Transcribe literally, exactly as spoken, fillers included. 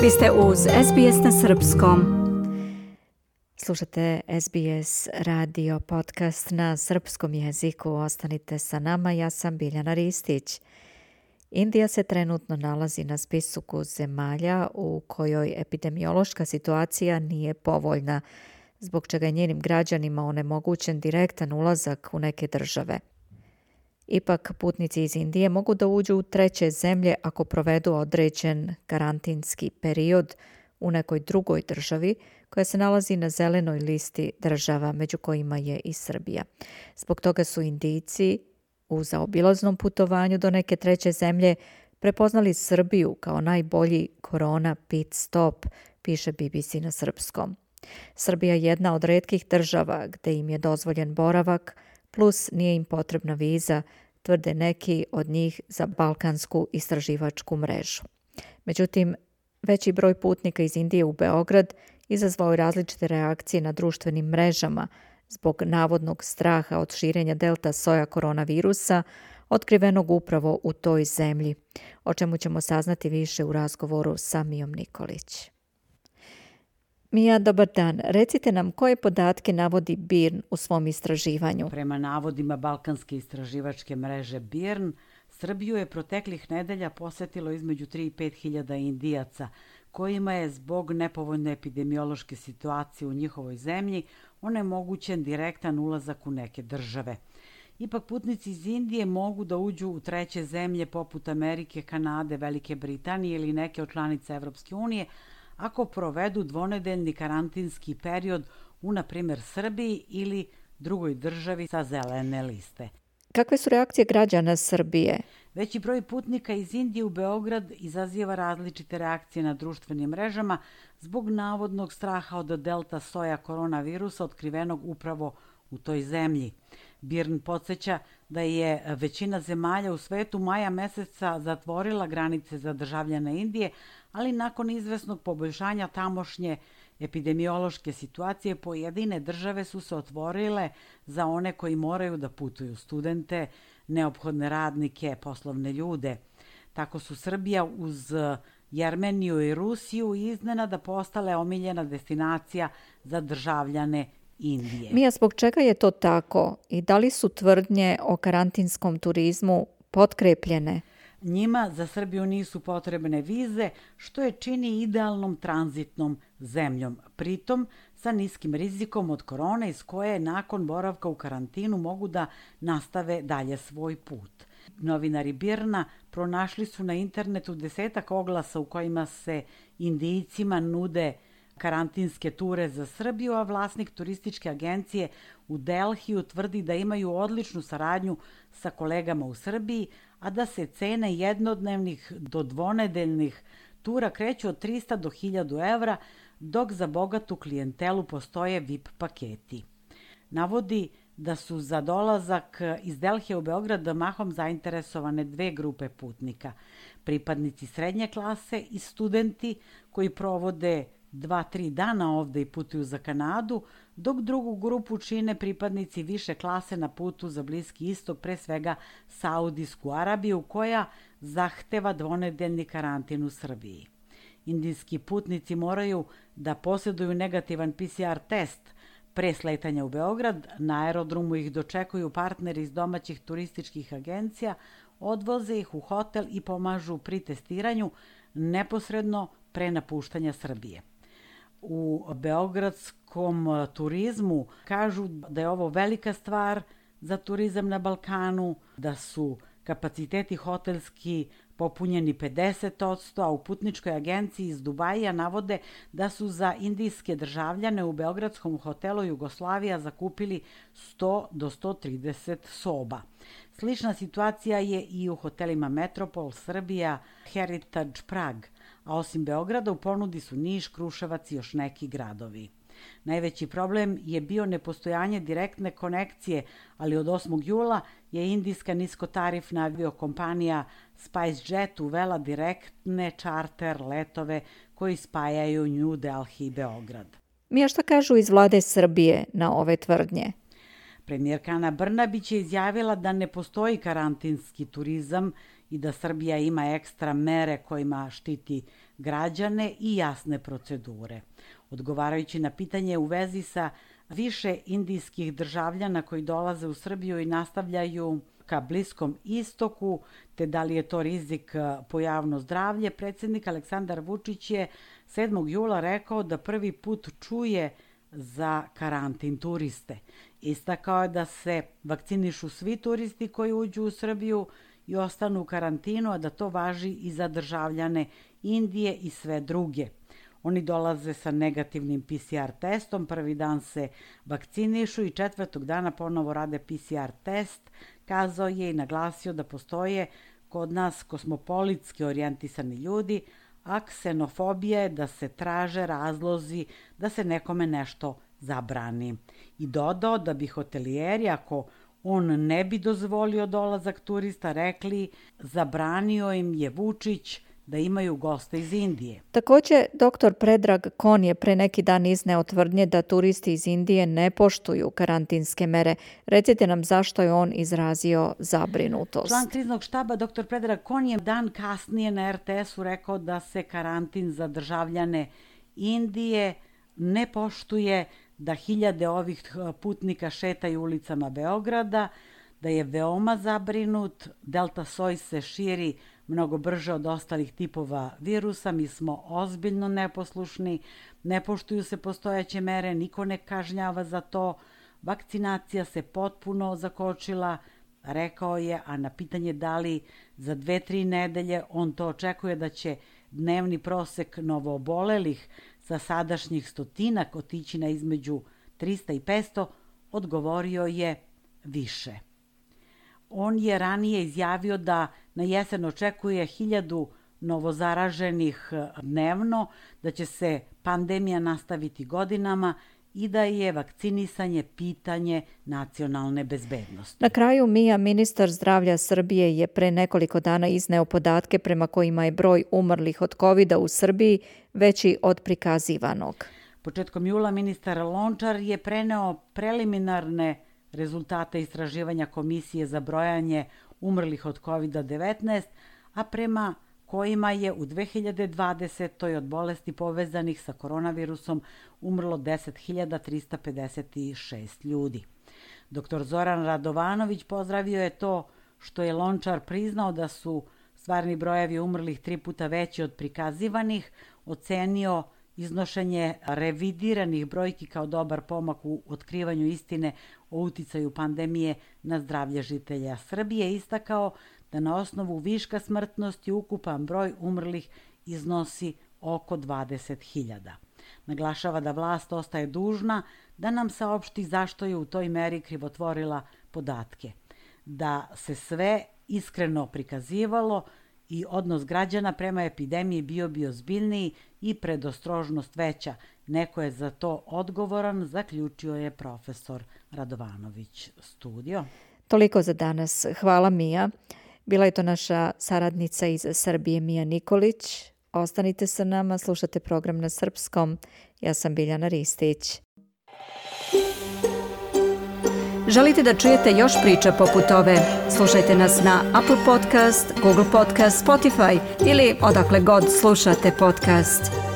Vi ste uz S B S na srpskom. Slušate S B S radio podcast na srpskom jeziku. Ostanite sa nama, ja sam Biljana Ristić. Indija se trenutno nalazi na spisku zemalja u kojoj epidemiološka situacija nije povoljna, zbog čega je njenim građanima onemogućen direktan ulazak u neke države. Ipak, putnici iz Indije mogu da uđu u treće zemlje ako provedu određen karantinski period u nekoj drugoj državi koja se nalazi na zelenoj listi država, među kojima je i Srbija. Zbog toga su Indijci u zaobilaznom putovanju do neke treće zemlje prepoznali Srbiju kao najbolji korona pit stop, piše B B C na srpskom. Srbija je jedna od retkih država gde im je dozvoljen boravak, plus nije im potrebna viza, tvrde neki od njih za balkansku istraživačku mrežu. Međutim, veći broj putnika iz Indije u Beograd izazvao je različite reakcije na društvenim mrežama zbog navodnog straha od širenja delta soja koronavirusa, otkrivenog upravo u toj zemlji, o čemu ćemo saznati više u razgovoru sa Mijom Nikolić. Mija, dobar dan. Recite nam koje podatke navodi B I R N u svom istraživanju. Prema navodima balkanske istraživačke mreže B I R N, Srbiju je proteklih nedelja posetilo između tri i pet hiljada Indijaca, kojima je zbog nepovoljne epidemiološke situacije u njihovoj zemlji onemogućen direktan ulazak u neke države. Ipak putnici iz Indije mogu da uđu u treće zemlje poput Amerike, Kanade, Velike Britanije ili neke od članica Evropske unije, ako provedu dvonedeljni karantinski period u, na primjer, Srbiji ili drugoj državi sa zelene liste. Kakve su reakcije građana Srbije? Veći broj putnika iz Indije u Beograd izaziva različite reakcije na društvenim mrežama zbog navodnog straha od delta soja koronavirusa otkrivenog upravo u toj zemlji. B I R N podsjeća da je većina zemalja u svetu maja meseca zatvorila granice za državljane Indije, ali nakon izvesnog poboljšanja tamošnje epidemiološke situacije pojedine države su se otvorile za one koji moraju da putuju, studente, neophodne radnike, poslovne ljude. Tako su Srbija uz Jermeniju i Rusiju iznenada postale omiljena destinacija za državljane Indije. Mija, zbog čega je to tako i da li su tvrdnje o karantinskom turizmu potkrepljene? Njima za Srbiju nisu potrebne vize, što je čini idealnom tranzitnom zemljom, pritom sa niskim rizikom od korone iz koje nakon boravka u karantinu mogu da nastave dalje svoj put. Novinari B I R N-a pronašli su na internetu desetak oglasa u kojima se Indijcima nude karantinske ture za Srbiju, a vlasnik turističke agencije u Delhiju tvrdi da imaju odličnu saradnju sa kolegama u Srbiji, a da se cene jednodnevnih do dvonedeljnih tura kreću od trista do hiljadu evra, dok za bogatu klijentelu postoje V I P paketi. Navodi da su za dolazak iz Delhija u Beograd mahom zainteresovane dve grupe putnika. Pripadnici srednje klase i studenti koji provode dva, tri dana ovde i putuju za Kanadu, dok drugu grupu čine pripadnici više klase na putu za Bliski istok, pre svega Saudijsku Arabiju, koja zahteva dvonedeljni karantin u Srbiji. Indijski putnici moraju da posjeduju negativan P C R test pre sletanja u Beograd. Na aerodromu ih dočekuju partneri iz domaćih turističkih agencija, odvoze ih u hotel i pomažu pri testiranju neposredno pre napuštanja Srbije. U beogradskom turizmu kažu da je ovo velika stvar za turizam na Balkanu, da su kapaciteti hotelski popunjeni pedeset posto, a u putničkoj agenciji iz Dubaija navode da su za indijske državljane u beogradskom hotelu Jugoslavija zakupili sto do sto trideset soba. Slična situacija je i u hotelima Metropol, Srbija, Heritage Prag, a osim Beograda u ponudi su Niš, Kruševac i još neki gradovi. Najveći problem je bio nepostojanje direktne konekcije, ali od osmog jula je indijska niskotarifna aviokompanija SpiceJet uvela direktne čarter letove koji spajaju New Delhi i Beograd. Mija, šta kažu iz vlade Srbije na ove tvrdnje? Premijerka Ana Brnabić je izjavila da ne postoji karantinski turizam i da Srbija ima ekstra mere kojima štiti građane i jasne procedure. Odgovarajući na pitanje u vezi sa više indijskih državljana koji dolaze u Srbiju i nastavljaju ka Bliskom istoku, te da li je to rizik po javno zdravlje, predsjednik Aleksandar Vučić je sedmog jula rekao da prvi put čuje za karantin turiste. Istakao je da se vakcinišu svi turisti koji uđu u Srbiju i ostanu u karantinu, a da to važi i za državljane Indije i sve druge. Oni dolaze sa negativnim P C R testom, prvi dan se vakcinišu i četvrtog dana ponovo rade P C R test, kazao je i naglasio da postoje kod nas kosmopolitski orijentisani ljudi, a ksenofobija je da se traže razlozi da se nekome nešto zabrani. I dodao da bi hotelijeri, ako on ne bi dozvolio dolazak turista, rekli zabranio im je Vučić da imaju goste iz Indije. Također, doktor Predrag Kon je pre neki dan izneo tvrdnje da turisti iz Indije ne poštuju karantinske mere. Recite nam zašto je on izrazio zabrinutost. Član kriznog štaba doktor Predrag Kon je dan kasnije na R T S-u rekao da se karantin za državljane Indije ne poštuje, da hiljade ovih putnika šetaju ulicama Beograda, da je veoma zabrinut, delta soj se širi mnogo brže od ostalih tipova virusa, mi smo ozbiljno neposlušni, ne poštuju se postojeće mere, niko ne kažnjava za to, vakcinacija se potpuno zakočila, rekao je, a na pitanje da li za dve, tri nedelje on to očekuje da će dnevni prosek novoobolelih sa sadašnjih stotinak otići na između trista i petsto, odgovorio je više. On je ranije izjavio da na jesen očekuje hiljadu novozaraženih dnevno, da će se pandemija nastaviti godinama i da je vakcinisanje pitanje nacionalne bezbednosti. Na kraju, Mija, ministar zdravlja Srbije, je pre nekoliko dana izneo podatke prema kojima je broj umrlih od kovida u Srbiji veći od prikazivanog. Početkom jula ministar Lončar je preneo preliminarne rezultate istraživanja Komisije za brojanje umrlih od kovida devetnaest, a prema kojima je u dve hiljade dvadesetoj. od bolesti povezanih sa koronavirusom umrlo deset hiljada trista pedeset šest ljudi. Doktor Zoran Radovanović pozdravio je to što je Lončar priznao da su stvarni brojevi umrlih tri puta veći od prikazivanih, ocenio iznošenje revidiranih brojki kao dobar pomak u otkrivanju istine o uticaju pandemije na zdravlje žitelja Srbije, istakao da na osnovu viška smrtnosti ukupan broj umrlih iznosi oko dvadeset hiljada. Naglašava da vlast ostaje dužna da nam saopšti zašto je u toj meri krivotvorila podatke, da se sve iskreno prikazivalo i odnos građana prema epidemiji bio bi ozbiljniji i predostrožnost veća. Neko je za to odgovoran, zaključio je profesor Radovanović. Studio. Toliko za danas. Hvala, Mija. Bila je to naša saradnica iz Srbije, Mija Nikolić. Ostanite sa nama, slušate program na srpskom. Ja sam Biljana Ristić. Želite da čujete još priča poput ove? Slušajte nas na Apple Podcast, Google Podcast, Spotify ili odakle god slušate podcast.